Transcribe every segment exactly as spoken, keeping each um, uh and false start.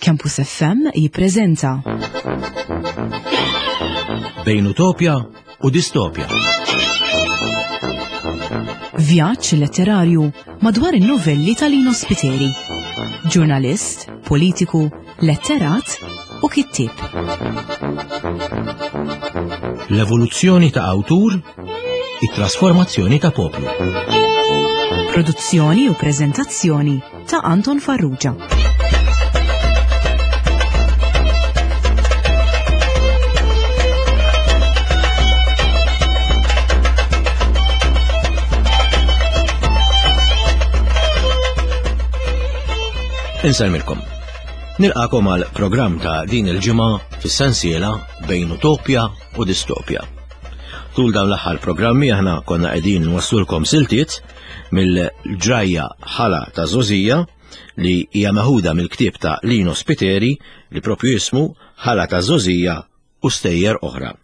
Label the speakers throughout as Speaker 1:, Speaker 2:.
Speaker 1: Campus F M jippreżenta
Speaker 2: Bejn Utopja u Distopja.
Speaker 1: Vjaġġ letterarju madwar in-novelli ta' Lino Spiteri. Ġurnalist, politiku, letterat u kittieb.
Speaker 2: L-evoluzzjoni ta' awtur, it-trasformazzjoni ta' poplu.
Speaker 1: Produzzjoni u preżentazzjoni ta' Anton Farrugia.
Speaker 2: Insellmilkom. Nilqakom għal programm ta' din il-ġimgħa fis-sensiela Bejn Utopja u Distopja. Tul dawn l-aħħar programmi aħna konna qegħdin nwasslulkom siltiet mill-ġrajja Ħala ta' Żgħożija li hija meħuda mill-ktieb ta' Lino Spiteri li propju jismu Ħala ta' Żgħożija u Stejjer Oħra.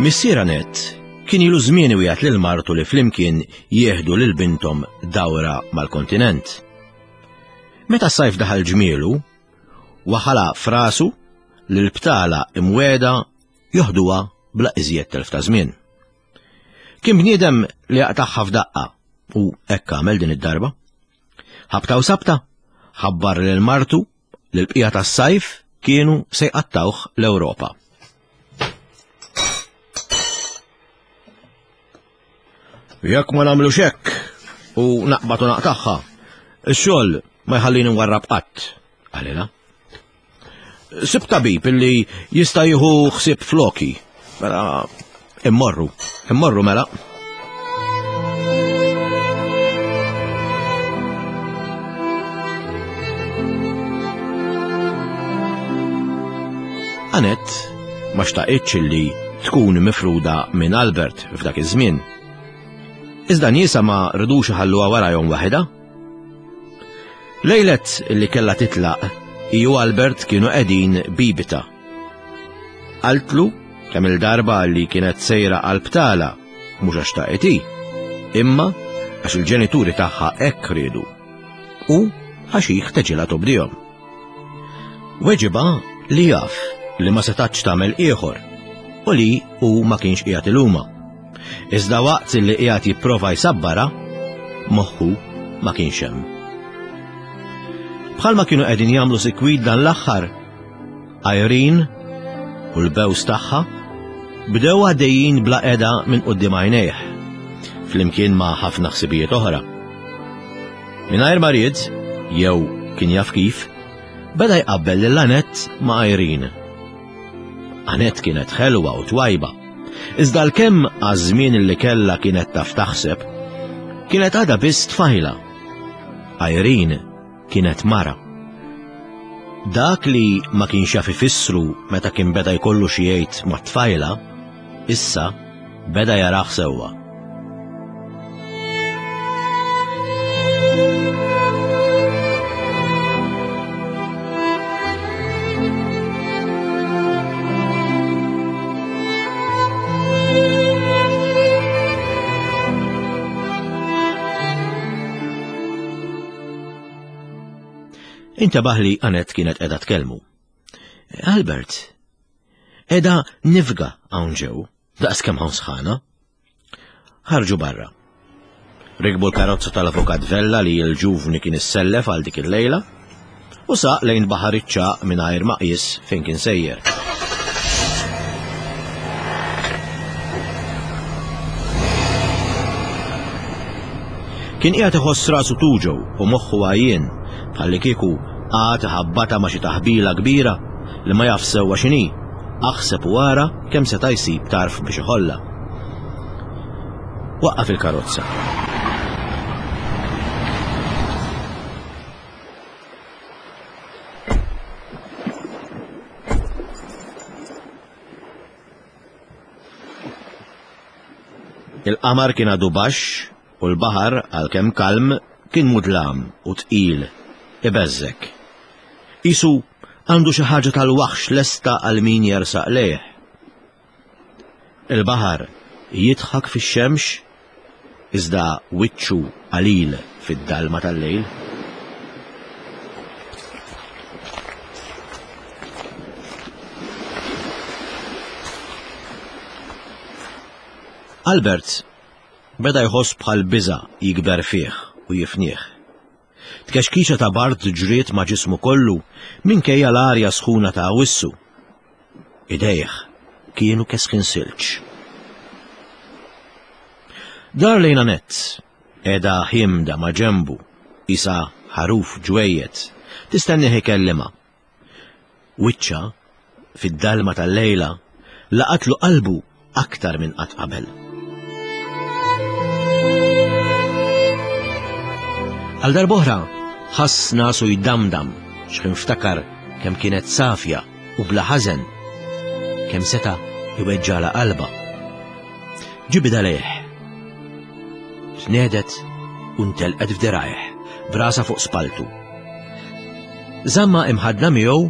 Speaker 2: Missier Annette kien ilu żmien iwiegħed lil martu li flimkien jieħdu lil binthom dawra mal-kontinent. Meta s-sajf daħal ġmielu, waħala frasu li l-btala imweda joħduha bla iżjed telf ta' żmien. Kien bniedem li jaqtagħha f'daqqa u hekk għamel din id-darba. Ħabta u sabta, ħabbar lil martu li l-bqija tas-sajf kienu se jqattawh l-Ewropa. Jekk ma nagħmlux hekk u naqbad u naqtagħha, ix-xogħol ma jħallini nwarrab qatt, qalilha. Sib tabib illi jista' jieħu ħsieb floki. Mela immorru, immorru mela. Annette ma xtaqitx illi tkun mifruda minn Albert f'dak iż-żmien. Iżda niesa ma rridux iħalluha warajhom waħedha. Lejlet li kellha titlaq, hi u Albert kienu qegħdin bibita. Qaltlu kemm il-darba li kienet sejra għal btala, mhux għax taqet hi, imma għax il-ġenituri tagħha hekk riedu u għax hi ħteġilha tobdihom. Weġiba li jaf li ma setax tagħmel ieħor u li hu ma kienx qiegħed iluma. Iżda waqt li qiegħed jipprova jsabbara, moħħu ma kienx hemm. Bħalma kienu qegħdin jagħmlu sikwit dan l-aħħar, Irene u l-bews tagħha bdew għaddejjin bla qeda minn quddiem għajnejh, flimkien ma' ħafna ħsibijiet oħra. Mingħajr ma ried, jew kien jaf kif, beda jqabbel lil Annette ma' Irene. Annette kienet ħelwa u twajba, iżda l-kemm għaż-żmien li kellha kienet taf taħseb, kienet għadha biss tfajla. Irene kienet mara. Dak li ma kienx jaf ifissru meta kien beda jkollu xi jgħid mat-tfajla, issa beda jarah sewwa. Intebaħ li Annette kienet qiegħda tkellmu. Albert, qiegħda nifga hawn ġew, daqs kemm hawn sħana. Ħarġu barra. Rikbu l-karozza tal-avukat Vella li l-ġuvni kien issellef għal dik il-lejla u saq lejn baħar iċ-ċagħaq mingħajr ma qies fejn kien sejjer. Kien qiegħed iħoss rasu tuġgħu u moħħu għajjien bħalli kieku għad ħabbata ma' xi taħbila kbira li ma jaf sewwa x'inhi, aħseb u ara kemm seta' jsib tarf biex iħollha. Waqqaf il-karozza. Il-qamar kien għadu baxx u l-baħar għalkemm kalm Kien mudlam u tqil, ibeżżek. Isu għandu xi ħaġa tal-waħx lesta għal min jersaq lejh. Il-baħar jidħak fix-xemx, iżda wiċċu qalil fid-dalma tal-lejl. Albert beda jħoss bħal biża' jikber fih u jifnieh. Tkexkixa ta' bard ġriet ma' ġismu kollu minkejja l-arja sħuna ta' Awwissu. Idejh kienu kesħin silġ. Dar lejn Annette, qiegħda ħimda ma' ġenbu, isa ħaruf ġwejjed, tistennih ikellimha. Wiċċha, fid-dalma tal-lejla, laqatlu qalbu aktar minn qatt qabel. Għal darb'oħra ħass nasu jdamdam x'ħin ftakar kemm kienet safja u bla ħażen, kemm seta' iweġġala qalbha. Ġibidha lejh. Tnedet u ntelqet f'dirajh, brasa fuq spaltu. Żamma imħadna miegħu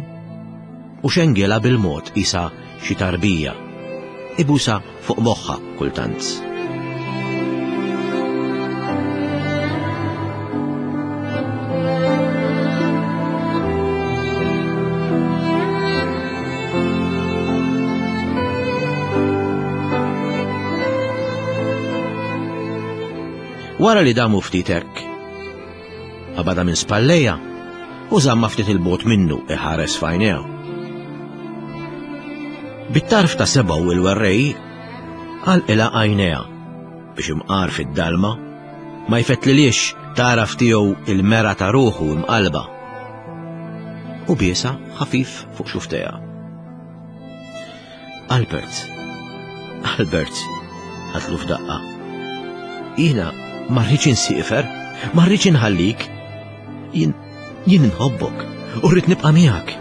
Speaker 2: u xengela bil-mod isa xi tarbija. Ibusa fuq moħħa kultant. Wara li damu ftit hekk, qabadha minn spallejha u żamma ftit il-bogħod minnu iħares f'għajnejha. Bit-tarf ta' sebgħu il-werrej għalqilha għajnejha biex imqar fid-dalma ma jfettlilix taraf tiegħu il-mera ta' ruħu imqalba. U biesa ħafif fuq xuftejha. Albert, Albert, ħatlu f'daqqa. Jiena ma rridx insiefer, ma rridx inħallik. Jien jien inħobbok u rrid nibqa' miegħek.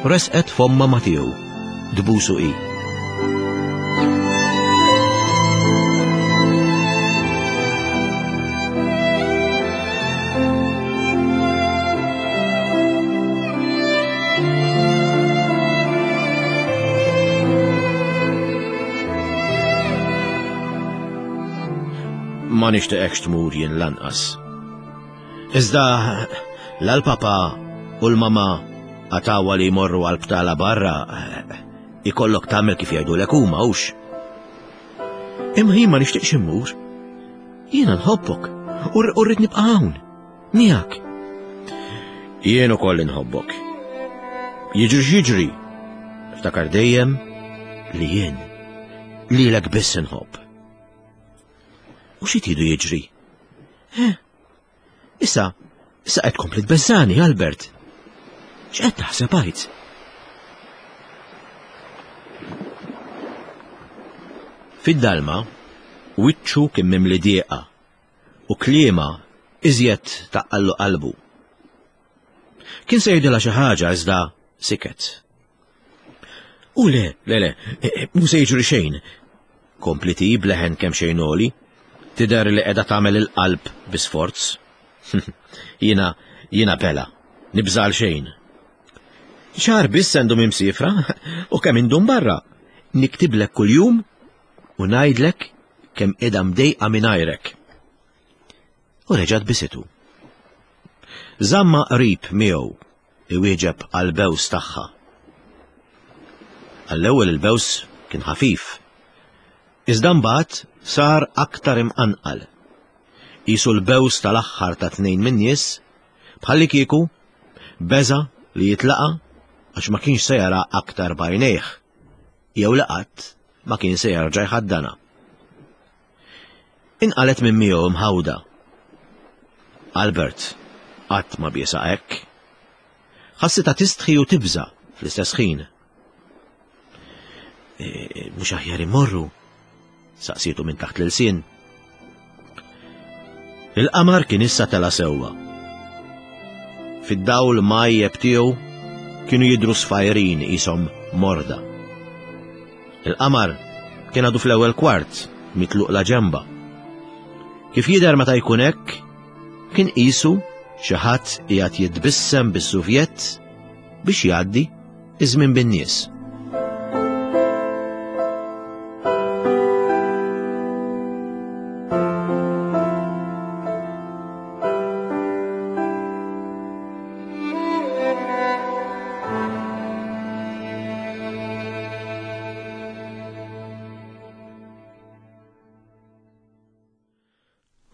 Speaker 2: Resqet fomma ma tiegħu, dbusu hi. Ma nixtieqekx tmur jien lanqas. Iżda l-papa u l-mama għatawa li jmorru għal btala barra, ikollok tagħmel kif jgħidulek huma hux. Imma jien ma nixtieqx immur. Jiena nħobbok u rrid nibqa' hawn miegħek. Jien ukoll inħobbok. Jiġri x'jiġri, ftakar dejjem li jien lilek biss inħobb. U xi tridu jiġri? Eh, issa, issa qed tkompli tbeżżani, Albert. X'qed taħseb għid? Fid-dalma, wiċċu kien mimli dieqa u kliema iżjed taqqallu qalbu. Kien se jgħidilha xi ħaġa iżda siket. U le, le, le, mhu se jiġri xejn. Kompliti bleħen kemm xejn għoli, tidher li qiegħda tagħmel il-qalb bi sforz. Jiena, jiena bela, nibżal xejn. Xahar biss għandhom imsifra u kemm indum barra. Niktiblek kuljum u ngħidlek kemm qiegħda mdejqa mingħajrek. U reġgħet bisitu. Żamma qrib miegħu iwieġeb għall-bews tagħha. Għall-ewwel il-bews kien ħafif. Iżda mbagħad sar aktar imqanqal. Qisu l-bews tal-aħħar ta' tnejn min-nies, bħalli kieku beża li jitlaqa għax ma kienx se jara aktar b'għajnejh, jew li qatt ma kien se jerġa' jħaddana. Inqalet minn miegħu mħawda. Albert qatt ma biesa hekk. Ħassitha tistħi u tibża fl-istess ħin. Mhux aħjar immorru, saqsietu minn taħt l-ilsien. Il-qamar kien issa tela sewwa. Fid-dawl majjeb tiegħu kienu jidhru sfajrin qishom morda. Il-qamar kien għadu fl-ewwel kwart mitluq la ġemba. Kif jidher meta jkun hekk, kien qisu xi ħadd qiegħed jitbissem bis-suvjett biex jgħaddi iż-żmien bin-nies.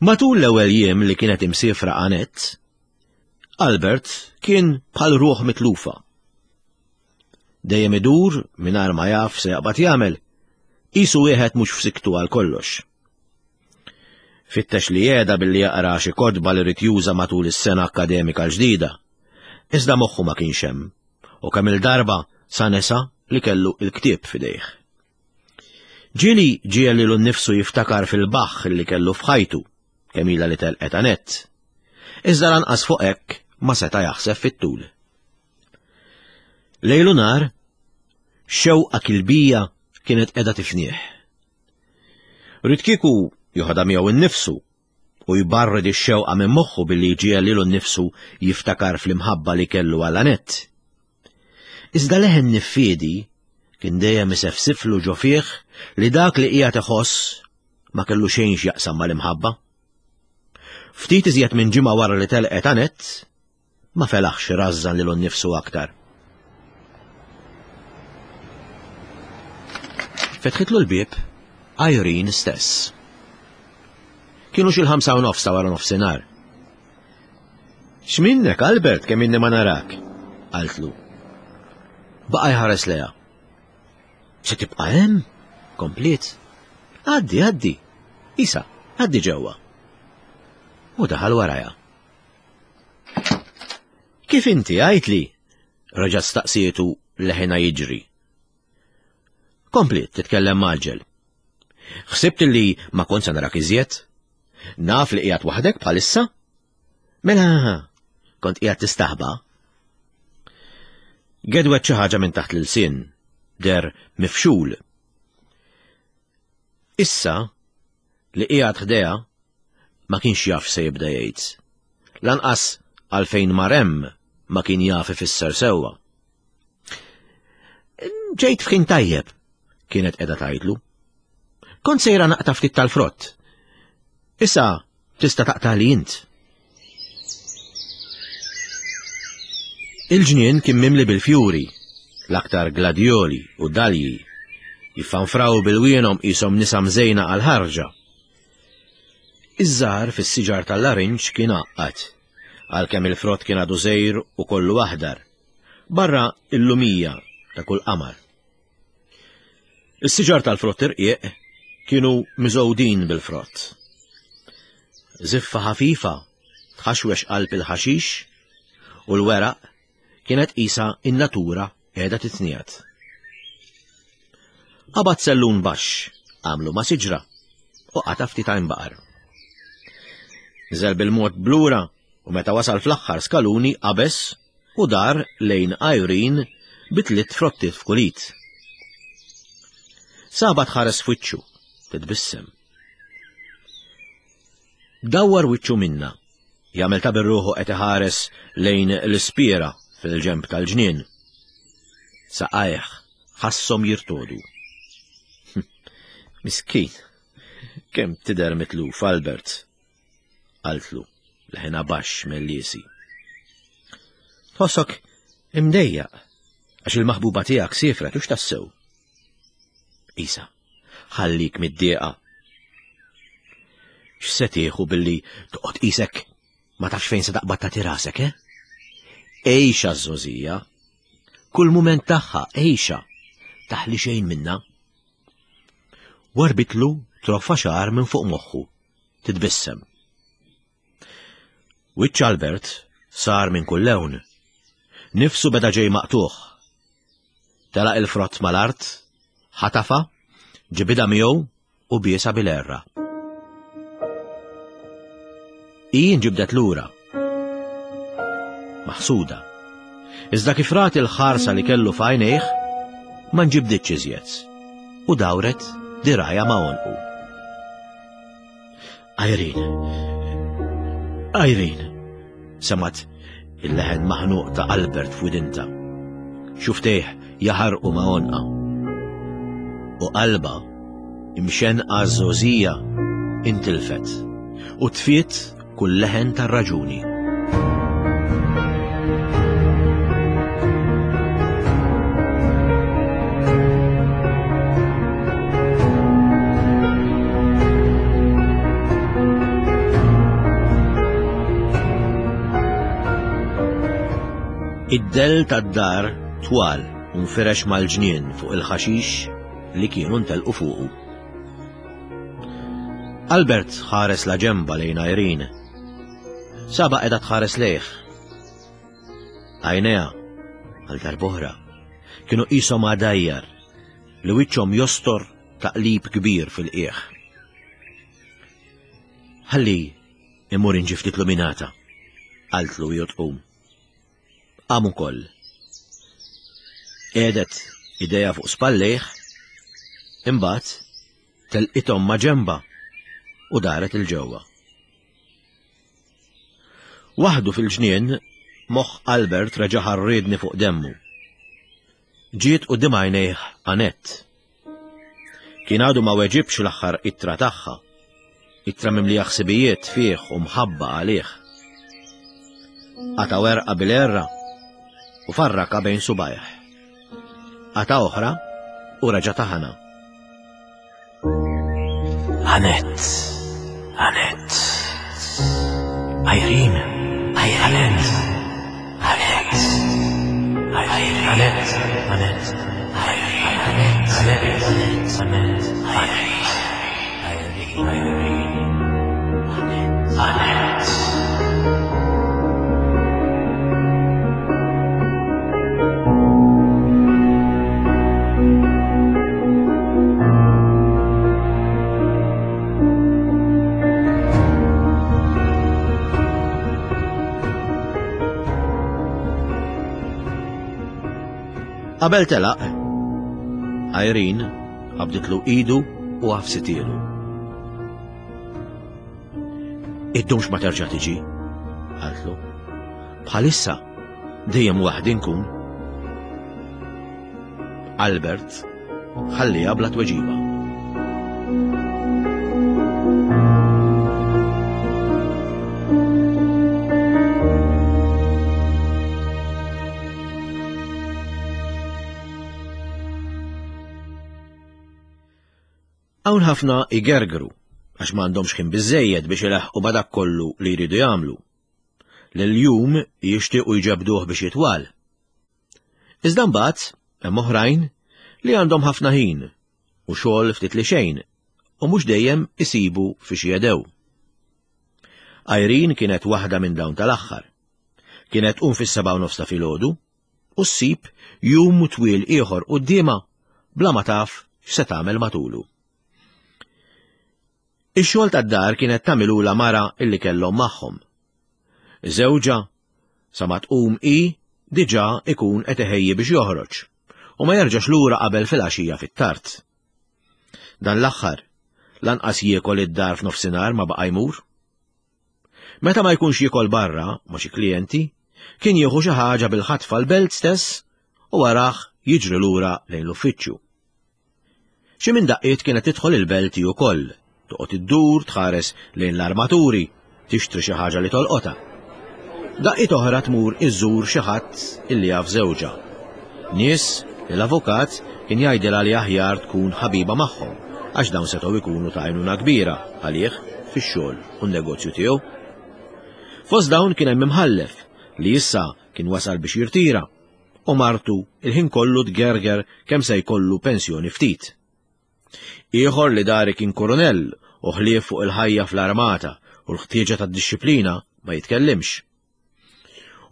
Speaker 2: Matul l-ewwel jiem li kienet imsiefra Annette, Albert kien bħal ruħ mitlufa. Dejjem idur mingħajr ma jaf se jaqbad jagħmel, qisu wieħed mhux f'siktu għal kollox. Fittex li jeda billi jaqra xi kotba li rid juża matul is-sena akkademika l-ġdida. Iżda moħħu ma kienx hemm, u kemm il-darba sa nesa li kellu il-ktieb f'idejh. Ġieli ġiel lilu nnifsu jiftakar fil-baħħ li kellu f'ħajtu, kemm ilha li telqet Annette. Iżda lanqas fuq hekk ma seta' jaħseb fit-tul. Lejlu nar, xewqa kilbija kienet qiegħda tifnieh. Ried kieku joħodha miegħu nnifsu u jbarred ix-xewqa minn moħħu billi jġiegħel lilu nnifsu jiftakar fl-imħabba li kellu għal Annette. Iżda leħen niffiedi kien dejjem isefsiflu ġo fih li dak li qiegħed iħoss ma kellu xejn x'jaqsam mal-imħabba. Ftit iżjed minn ġimgħa wara li telqet Annette, ma felaħx rażżan lilu nnifsu aktar. Fetħitlu l-bieb Irene stess. Kienu xi l-ħamsa u nofs ta' wara nofsinhar. X'minnek, Albert, kemm inni ma narak? Qaltlu. Baqa' jħares lejha. Se tibqa' hemm? Kompliet. Għaddi, għaddi. Isa, għaddi ġewwa. U daħal warajha. Kif inti għajtli? Reġa' staqsietu leħina jiġri. Kompliet titkellem maġġel. Ħsibt li ma kont se narak iżjed? Naf li qiegħed waħdek bħalissa? Mela, kont qiegħed tistaħba? Gedwet xi ħaġa minn taħt l-ilsien, der mifxul. Issa li qiegħed ħdejha ma kienx jaf se jibda jgħid. Lanqas għalfejn mar hemm ma kien jaf ifisser sewwa. Ġejt f'ħin tajjeb, kienet qiegħda tgħidlu. Kont sejra naqta' ftit tal-frott. Issa tista' taqta' li int. Il-ġnien kien mimli bil-fjuri, l-aktar gladjoli u dalji, jiffanfraw bil-wienhom qishom nisa mżejna għal-ħarġa. Iż-żahar fis-siġar tal-larinġ kien għaqqad, għalkemm il-frott kien għadu żgħir u kollu aħdar, barra il-lumija ta' kull qamar. Is-siġar tal-frott irqiq kienu miżgħudin bil-frott. Ziffa ħafifa tħaxwex qalb il-ħaxix u l-weraq kienet qisha in-natura qiegħda titniegħed. Qabad sellun baxx, għamlu ma' siġra u qata' ftit għajn baqar. Niżel bil-mod blura u meta wasal fl-aħħar skaluni qabeż u dar lejn Irene bi tliet frottiet f'kulit. Saba tħares f'wiċċu, titbissem. Dawwar wiċċu minna, jagħmel ta' birruħu qed iħares lejn l-ispiera fil-ġenb tal-ġnien. Saqajh ħasshom jirtodu. Miskin, kemm tidher mitluf, Albert, qaltlu, leħinha baxx mill-liesi. Tħossok imdejjaq għax il-maħbuba tiegħek siefret u x'tassew. Isa, ħallik mid-dieqa. X'se tieħu billi toqgħod qisek ma tafx fejn se taqbad tagħti rasek, eh? Għejxa ż-żgħożija. Kull mument tagħha għejxa, taħli xejn minna. Warbitlu troffa xagħar minn fuq moħħu, titbissem. Wiċċ Albert sar minn kull lewn. Nifsu beda ġej maqtuħ. Telaq il-frott mal-art, ħatafa, ġibida miegħu u biesa bil-erra. Hi nġibdet lura. Maħsuda. Iżda kif rat il-ħarsa li kellu f'għajnejh, ma nġibditx iżjed u dawret dirajha ma' għonqu. Irene! Irene! Semgħet il-leħen maħnuq ta' Albert f'widinta. Xuftejh jaħarqu ma' għonqa. U qalbha imxenqa żgħożija intilfet u tfiet kull leħen tar-raġuni. Id-dell tad-dar twal u nfirex mal-ġnien fuq il-ħaxix li kienu ntelqu fuqu. Albert ħares la ġemba lejn Irene. Saba qiegħda tħares lejh. Għajnejha għal darb'oħra kienu qishom għadajjar li wiċċhom jostor taqlib kbir fil-qiegħ. Ħalli immur inġib ftit luminata, qaltlu hi tqum. Qam ukoll. Qiegħdet idejha fuq spallejh, imbagħad telqithom ma' ġemba u daret 'il ġewwa. Waħdu fil-ġnien, moħħ Albert reġa' ħarriedni fuq demmu. Ġiet quddiem għajnejh Annette. Kien għadu ma weġibx l-aħħar ittra tagħha, ittra mimlija ħsibijiet fih u mħabba għalih. Qata' werqa bil-erra u farraka bejn subajh. Qata' oħra u reġa' taħana. Annette, Annette, Irene, Irene, Annette, Irene, Annette, Annette, Irene, Annette, Annette, Irene, Irene, Annette. Qabel telaq, Irene qabditlu idu u għafsitielu. Iddumx ma terġa' tiġi, qaltlu. Bħalissa dejjem waħdi nkun. Albert ħalliha bla tweġiba. Hawn ħafna igergru għax m'għandhomx ħin biżżejjed biex ilaħħqu ma' dak kollu li jridu jagħmlu. Lil-jum jixtiequ jġebduh biex jitwal. Iżda mbagħad hemm oħrajn li għandhom ħafna ħin u xogħol ftit li xejn u mhux dejjem isibu fiex jedew. Irene kienet waħda minn dawn tal-aħħar. Kienet tqum fis-sebgħa u nofs ta' filgħodu u ssib jum twil ieħor quddiemha bla ma taf x'se tagħmel matulu. Ix-xogħol tad-dar kienet tagħmilula mara illi kellhom magħhom. Żewġha sa ma tqum hi diġà ikun qed iħejji biex joħroġ u ma jerġax lura qabel fil-għaxija fit-tard. Dan l-aħħar lanqas jiekol id-dar f'nofsinhar ma baqa' jmur. Meta ma jkunx jiekol barra ma' xi klijenti, kien jieħu xi ħaġa bil-ħatfa l-belt stess u warah jiġri lura lejn l-uffiċċju. Xi minn daqqiet kienet tidħol il-belt hi wkoll, toqgħod iddur tħares lejn l-armaturi, tixtri xi ħaġa li tolqotha. Daqqiet oħra tmur iżżur xi ħadd illi jaf żewġha. Nies li l-avukat kien jgħidilha li aħjar tkun ħabiba magħhom għax dawn setgħu jkunu ta' għajnuna kbira għalih fix-xogħol u n-negozju tiegħu. Fost dawn kien hemm imħallef li issa kien wasal biex jirtira u martu il-ħin kollu tgerger kemm se jkollu pensjoni ftit. Ieħor li dari kien koronell u ħlief fuq il-ħajja fl-armata u l-ħtieġa tad-dixxiplina ma jitkellimx.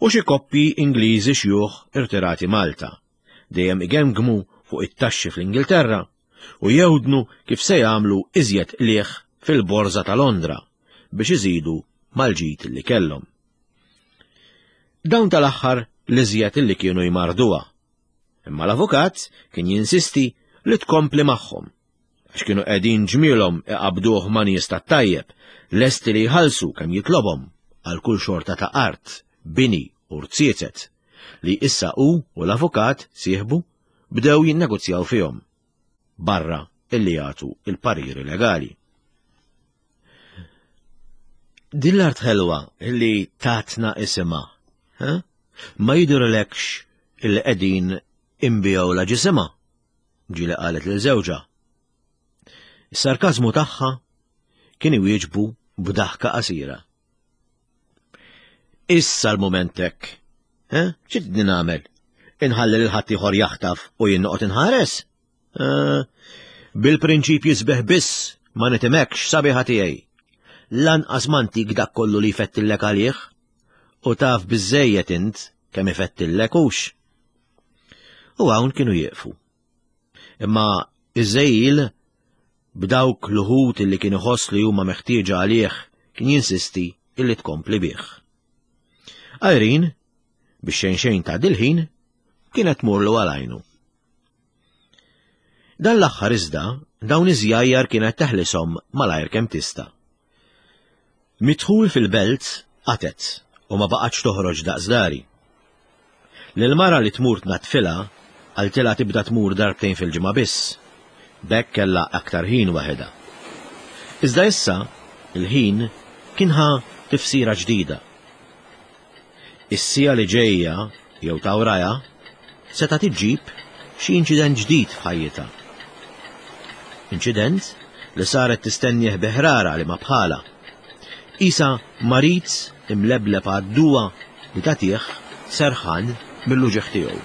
Speaker 2: U xi koppji Ingliżi xjuħ irtirati Malta, dejjem igemgmu fuq it-taxxi fl-Ingilterra u jewdnu kif se jagħmlu iżjed qligħ fil-Borża ta' Londra biex iżidu mal-ġid li kellhom. Dawn tal-aħħar l-iżjed li kienu jmarduha. Imma l-avukat kien jinsisti li tkompli magħhom għax kienu qegħdin ġmielhom iqabduh ma' nies tat-tajjeb, lesti li jħallsu kemm jitlobhom għal kull xorta ta' art, bini u rziezet, li issa hu u l-avukat sieħbu bdew jinnegozjaw fihom, barra illi jagħtu il-pariri legali. Din l-art ħelwa illi tatna isimha, ha? Ma jidhirlekx illi qegħdin inbigħu la ġisimha, ġieli qalet lil żewġha. Is-sarkażmu tagħha kien iwieġbu b'daħka qasira. Issa l-mument hekk. Eh? Xi tridni nagħmel? Inħalli lil ħaddieħor jaħtaf u jien noqgħod inħares? Eh, bil-prinċipji sbieħ biss ma nitimekx sabiħa tiegħi. Lanqas ma ntik dak kollu li jfettillek għalih u taf biżżejjed int kemm ifettillek hux. U hawn kienu jieqfu. Imma iż-żejjil b'dawk l-uħud illi kien iħoss li huma meħtieġa għalih kien jinsisti illi tkompli bih. Irene, biex xejn xejn ta' dil-ħin, kienet tmurlu għal għajnu. Dan l-aħħar iżda, dawn iż-żjajjar kienet teħlishom malajr kemm tista'. Midħul fil-belt qatet u ma baqgħetx toħroġ daqs dari. Lil-mara li tmur tnaddfilha qaltilha tibda tmur darbtejn fil-ġimgħa biss, b'hekk kellha aktar ħin waħedha. Iżda issa il-ħin kien ħa tifsira ġdida. Is-siegħa li ġejja jew ta' wrajha setgħet iġġib xi inċident ġdid f'ħajjitha. Inċident li saret tistennieh bi ħrara li ma bħala. Isa marid imlebleb għad-duwa li tagħtih serħan mill-uġigħ tiegħu.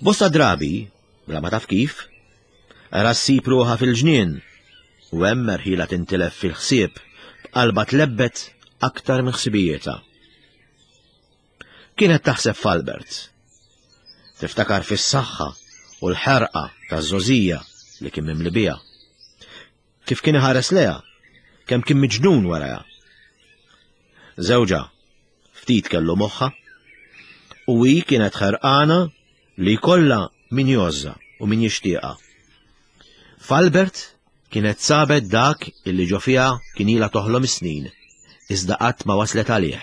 Speaker 2: Bosta drabi, bla ma taf kif, ra ssib ruħha fil-ġnien u hemm merħila tintilef fil-ħsieb b'qalba tlebbet aktar minn ħsibijietha. Kienet taħseb f'Albert. Tiftakar fis-saħħa u l-ħerqa taż-żgħożija li kien mimli biha. Kif kien iħares lejha, kemm kien miġnun warajha. Żewġha ftit kellu moħħha u hi kienet ħerqana li jkollha min jgħożżha u min jixtieqha. F'Albert kienet sabet dak illi ġo fiha kien ilha toħlom is-snin, iżda qatt ma waslet għalih.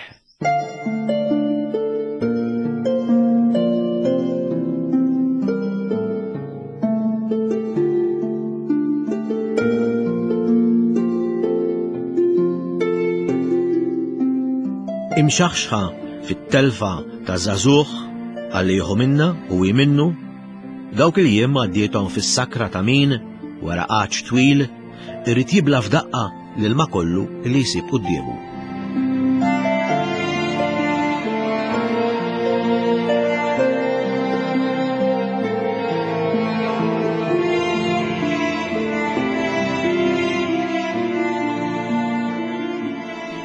Speaker 2: Imxaħxħa fit-telfa ta' żagħżugħ għalli jieħu minna u hi minnu, dawk il-jiem għaddiethom fis-sakra ta' min, wara għatx twil, irid jibla f'daqqa l-ilma kollu li jsib quddiemu.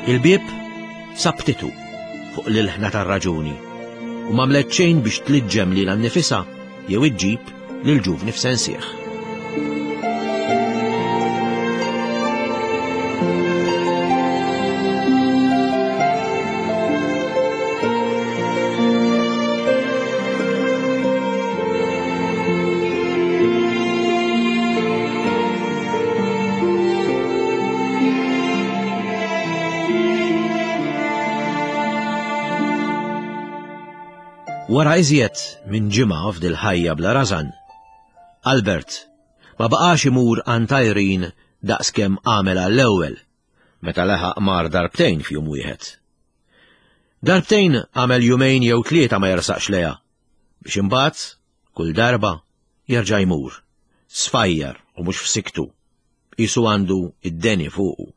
Speaker 2: Il-bieb sabtitu fuq l-ilħna tar-raġuni u m'għamlet xejn biex tliġġem lilha nnifisha jew iġġib lil ġuvni f'sensih. Wara iżjed minn ġimgħa f'dil ħajja bla rażan, Albert ma baqax imur għand Irene daqskemm għamel għall-ewwel, meta leħaq mar darbtejn f'jum wieħed. Darbtejn għamel jumejn jew tlieta ma jersaqx lejha, biex imbagħad kull darba jerġa' jmur, sfajjar u mhux f'siktu, qisu għandu id-deni fuqu.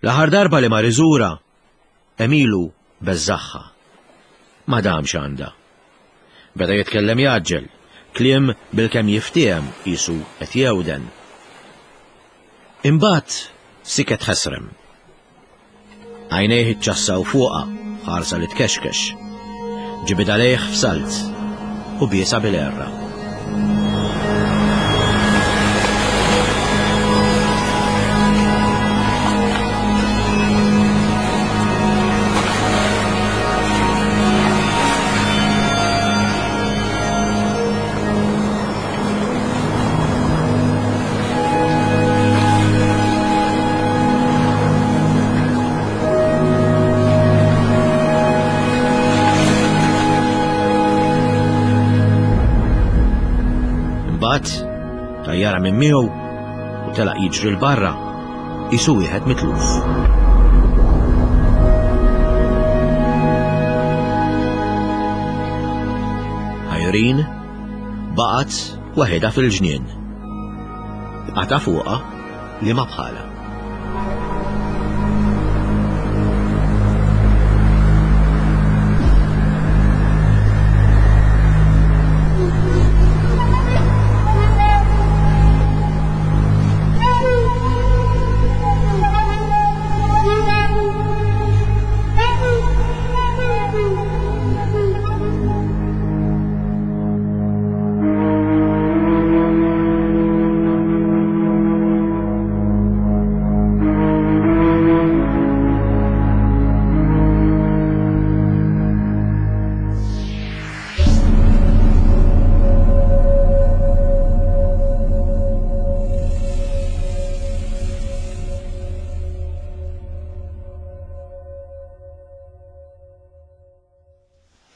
Speaker 2: L-aħħar darba li mar iżura, Emilu beżżagħha. Ma damx għandha. Beda jitkellem jaġġel, kliem bilkemm jiftiehem qisu qed jewden. Imbagħad siket ħesrem. Għajnejh iċċassaw fuqha ħarsa li tkexkex. Ġibidha lejh f'salt u biesha bil-għerra. Imbagħad tajjara minn miegħu u telaq jiġri 'l barra qisu wieħed mitluf. Irene baqgħet waħedha fil-ġnien. Bqata fuqha li ma bħala.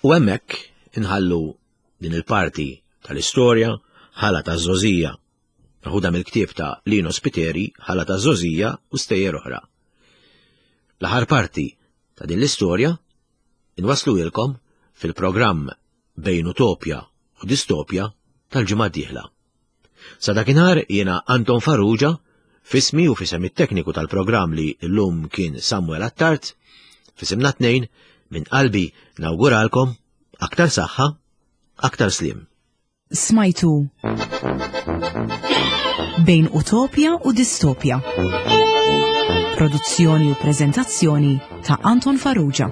Speaker 2: U hemmhekk inħallu din il-parti tal-istorja Ħala taż-Żgħożija, meħuda mill-ktieb ta' Lino Spiteri Ħala taż-Żgħożija u Stejjer Oħra. L-aħħar parti ta' din l-istorja inwassluhielkom fil-programm Bejn Utopja u Distopja tal-ġimgħa d-dieħla. Sa dakinhar jiena Anton Farrugia, f'ismi u f'isem it-tekniku tal-programm li llum kien Samuel Attard, f'isimna tnejn, minn qalbi nawguralkom aktar saħħa, aktar sliem.
Speaker 1: Smajtu Bejn Utopja u Distopja. Produzzjoni u preżentazzjoni ta' Anton Farrugia.